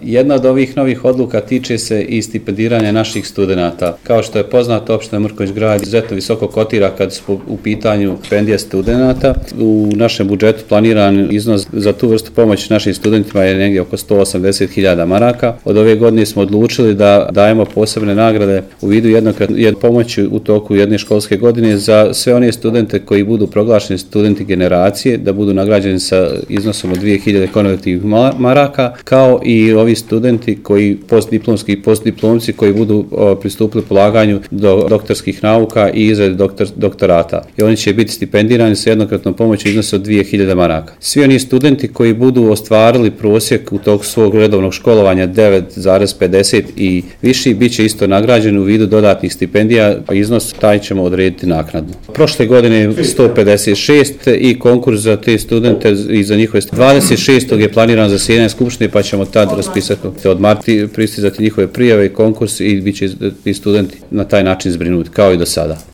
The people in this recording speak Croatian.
Jedna od ovih novih odluka tiče se i stipendiranja naših studenata. Kao što je poznato, opština Mrkonjić Grad izuzetno visoko kotira kad su u pitanju stipendije studenata. U našem budžetu planiran iznos za tu vrstu pomoći našim studentima je negdje oko 180.000 maraka. Od ove godine smo odlučili da dajemo posebne nagrade u vidu jednokratne pomoći u toku jedne školske godine za sve one studente koji budu proglašeni studenti generacije, da budu nagrađeni sa iznosom od 2.000 konvertivnih maraka, kao i ovi studenti koji postdiplomski i postdiplomci koji budu pristupili polaganju do doktorskih nauka i izradi doktorata. I oni će biti stipendirani sa jednokratnom pomoći iznosa od 2.000 maraka. Svi oni studenti koji budu ostvarili prosjek u toku svog redovnog školovanja 9,50 i viši bit će isto nagrađeni u vidu dodatnih stipendija, a iznos taj ćemo odrediti naknadno. Prošle godine 156 i konkurs za te studente i za njihove 26. je planiran za zasjedanje skupštine, pa ćemo tad raspisati od marta pristizati njihove prijave i konkurs i bit će i studenti na taj način zbrinuti kao i do sada.